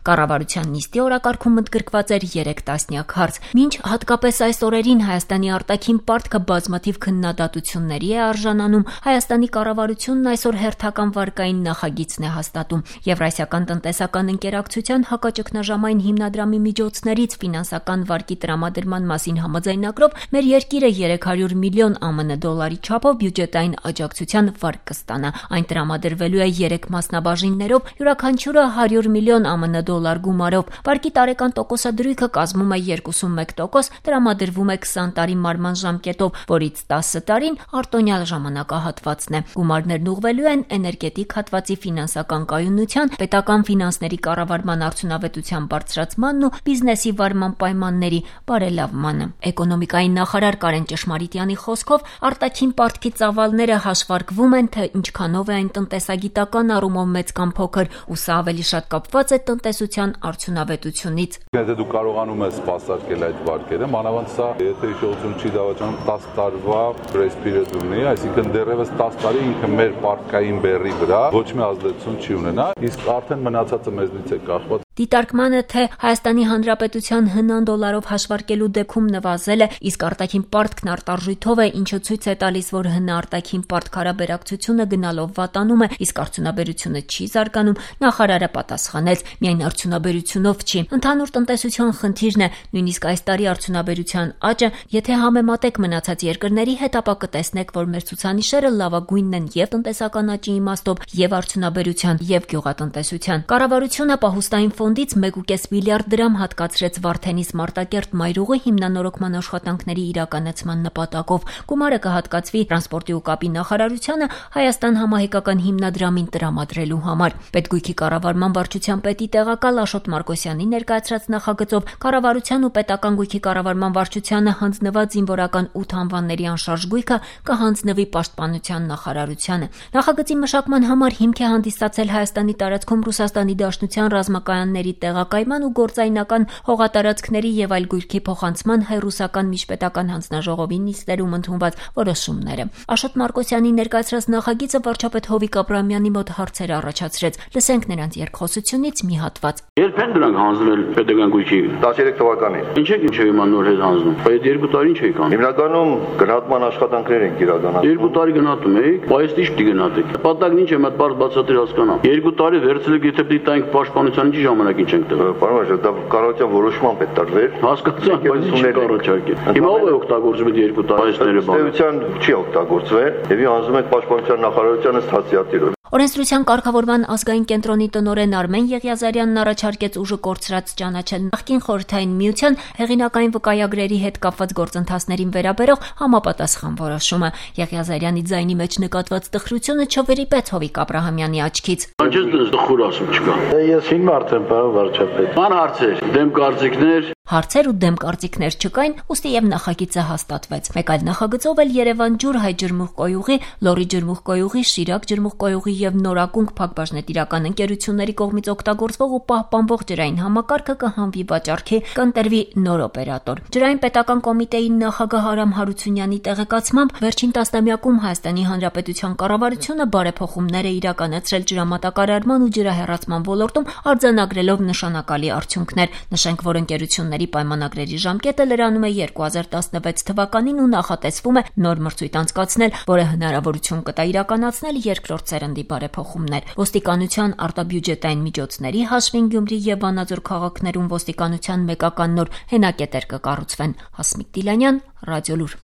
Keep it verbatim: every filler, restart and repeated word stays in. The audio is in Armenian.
Կառավարության նիստի օրակարգում ընդգրկված էր երեք տասնյակ հարց։ Մինչ հատկապես այս օրերին Հայաստանի արտաքին պարտքը բազմաթիվ քննադատությունների է արժանանում, Հայաստանի կառավարությունն այսօր հերթական վարկային նախագիծն է հաստատում։ Եվրասիական տնտեսական ընկերակցության հակաճգնաժամային հիմնադրամի միջոցներից ֆինանսական վարկի տրամադրման մասին համաձայնագրով մեր երկիրը երեք հարյուր միլիոն ԱՄՆ դոլարի չափով բյուջետային աջակցության վարկ կստանա։ Այն տրամադրվելու է երեք մասնաբաժիններով, յուրաքանչյուրը հարյուր միլիոն ԱՄՆ դոլար գումարով։ Վարկի տարեկան տոկոսադրույքը կազմում է երկուսունմեկ տոկոս, տրամադրվում է քսան տարի մարման ժամկետով, որից տասը տարին արտոնյալ ժամանակահատվածն է։ Գումարներն ուղղվելու են էներգետիկ հատվածի ֆինանսական կայունության, պետական ֆինանսների կառավարման արդյունավետության բարձրացմանն ու բիզնեսի վարման պայմանների բարելավմանը։ Էկոնոմիկայի նախարար Կարեն Ճշմարիտյանի խոսքով արտաքին պարտքի ծավալները հաշվարկվում են, թե ինչքանով է այն տնտեսագիտական առումով մեծ կամ փոքր, ու սա ավելի շատ կապված է տնտեսության արդյունավետությունից։ Եթե դու կարողանում ես սպասարկել այդ վարկերը, մանավանդ սա, եթե հիշողություն չի դավաճանում, տասը տարվա grace period ունի, այսինքն դեռևս տասը տարի ինքը մեր պարտքային բեռի վրա ոչ մի ազդեցություն չի ունենա, իսկ արդեն մնացածը մեզնից է կախված։ Դիտարկմանը, թե Հայաստանի Հանրապետության հնան դոլարով հաշվարկելու դեպքում նվազել է, իսկ արտաքին պարտքն արտարժույթով է, ինչը ցույց է տալիս, որ հնա արտաքին պարտք հարաբերակցությունը գնալով վատանում է, իսկ արդյունաբերությունը չի զարգանում, նախարարը պատասխանեց, միայն արդյունաբերությունով չի։ Ընդհանուր տնտեսության խնդիրն է, նույնիսկ այս տարի արդյունաբերության աճը, եթե համեմատեք մնացած երկրների հետ, ապա կտեսնեք, որ մեր ցուցանիշերը լավագույնն են եւ տնտեսական աճի իմաստով, եւ արդյունաբերության, եւ գյուղատնտեսության։ Կառավարությունը պահուստային ֆոնդից մեկ ու կես միլիարդ դրամ հատկացրեց Վարդենիս Մարտակերտ մայրուղի հիմնանորոգման աշխատանքների իրականացման նպատակով։ Գումարը կհատկացվի տրանսպորտի ու կապի նախարարությանը Հայաստան համահայկական հիմնադրամին տրամադրելու համար։ Պետգույքի կառավարման վարչության պետի տեղակալ Աշոտ Մարկոսյանի ներկայացրած նախագծով կառավարության ու պետական գույքի կառավարման վարչությանը հանձնված զինվորական ութ անվանների անշարժ գույքը կհանձնվի պաշտպանության նախարարությանը։ Նախագծի մշակման համար հիմք է հանդիսացել Հայաստանի տարածքում Ռուսաստանի Դաշնության ռազմակայանների տեղակայման ու գործայնական հողատարածքների եւ այլ գույքի փոխանցման հայ-ռուսական միջպետական հանձնաժողովի նիստերում ընդունված որոշումները։ Աշոտ Մարկոսյանի ներկայացրած նախագիծը վարչապետ Հովիկ Աբրահամյանի մոտ հարցեր առաջացրեց։ Լսենք նրանց երկխոսությունից մի հատված։ Երբ են դրանք հանձնել պետական գույքի տասներեք թվականին։ Ինչ եք ինչ հիմա նոր հետ հանձնում։ Այդ երկու տարի ինչ եք անում։ Հիմնականում գնահատման աշխատանքներ են իրականացնում։ Երկու տարի գնահատում եք, բայց ի՞նչ պիտի գնահատեք։ Պատակն ինչ է, մատ բարձ բացատրի հասկանամ։ Երկու տարի վերցրեք, եթե պիտի տանք պաշտպանության ինչ ժամանակ ինչ ենք տվել։ Պարոն Մաշը, դա կառավարության որոշմամբ է տարվել։ Հասկացա, բայց ինչ կառաջարկել։ Հիմա ով է օգտագործում այդ երկու տարիները բանը։ Պետության չի օգտագործվել, եւ հանձնում ենք պաշտպանության նախարարությանը ստացիատիրը։ Օրենսդրության կարգավորման ազգային կենտրոնի տնօրեն Արմեն Եղիազարյանն առաջարկեց ուժը կորցրած ճանաչել նախկին խորհրդային միության հեղինակային վկայագրերի հետ կապված գործընթացներին վերաբերող համապատասխան որոշումը։ Եղիազարյանի ձայնի մեջ նկատված տխրությունը չվերիպեց Հովիկ Աբրահամյանի աչքից։ Անջես դες տխուր ասում չկա։ Ես հիմա արդեն պարոն վարչապետ։ Ման հարցեր, դեմ կարծիքներ։ Հարցեր ու դեմ կարծիքներ չկային, ուստի եւ նախագիծը հաստատվեց։ Մեկ այլ նախագծով էլ Երևան ջուր հայ ջրմուղկոյուղի, Լոռի ջրմուղկոյուղի, Շիրակ ջրմուղկոյուղի եւ Նորակունք փակbaşնետիրական ընկերությունների կողմից օգտագործվող ու պահպանվող ջրային համակարգը կհանվի վաճառքի, կընտրվի նոր օպերատոր։ Ջրային պետական կոմիտեի նախագահ Արամ Հարությունյանի տեղեկացմամբ վերջին տասնամյակում Հայաստանի Հանրապետության կառավարությունը բարեփոխումներ է իրականացրել ջրամատակարարման ու ջրահեռացման ոլորտում, արձանագրելով նշանակալի արդյունքներ։ Նշենք, որ ընկերությունների պայմանագրերի ժամկետը լրանում է երկու հազար տասնվեց թվականին ու նախատեսվում է նոր մրցույթ անցկացնել, որը հնարավորություն կտա իրականացնել երկրորդ սերնդի բարեփոխումներ։ Ոստիկանության արտաբյուջետային միջոցների հաշվին Գյումրի եւ Վանաձոր քաղաքներում ոստիկանության մեկական նոր հենակետեր կկառուցվեն։ Հասմիկ Դիլանյան, Ռադիոլուր։